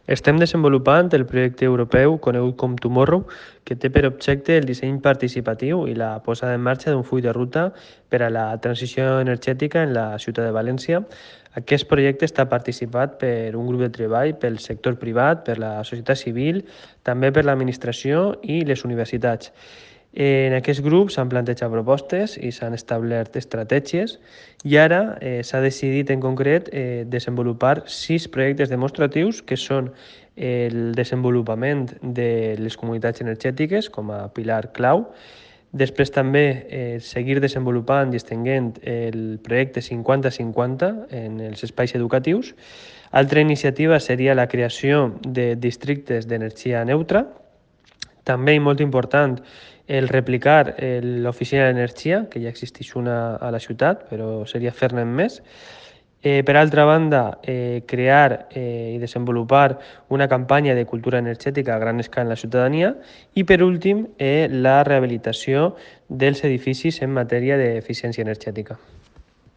Estem desenvolupant el projecte europeu conegut com Tomorrow, que té per objecte el disseny participatiu i la posada en marxa d'un full de ruta per a la transició energètica en la ciutat de València. Aquest projecte està participat per un grup de treball pel sector privat, per la societat civil, també per l'administració i les universitats. En aquest grup s'han plantejat propostes i s'han establert estratègies i ara s'ha decidit en concret desenvolupar 6 projectes demostratius que són el desenvolupament de les comunitats energètiques com a pilar clau, després també seguir desenvolupant i estenent el projecte 50-50 en els espais educatius. Altra iniciativa seria la creació de districtes d'energia neutra. També, i molt important, el replicar l'oficina d'energia, que ja existeix una a la ciutat, però seria fer-ne més. Per altra banda, crear i desenvolupar una campanya de cultura energètica a gran escala en la ciutadania i, per últim, la rehabilitació dels edificis en matèria d'eficiència energètica.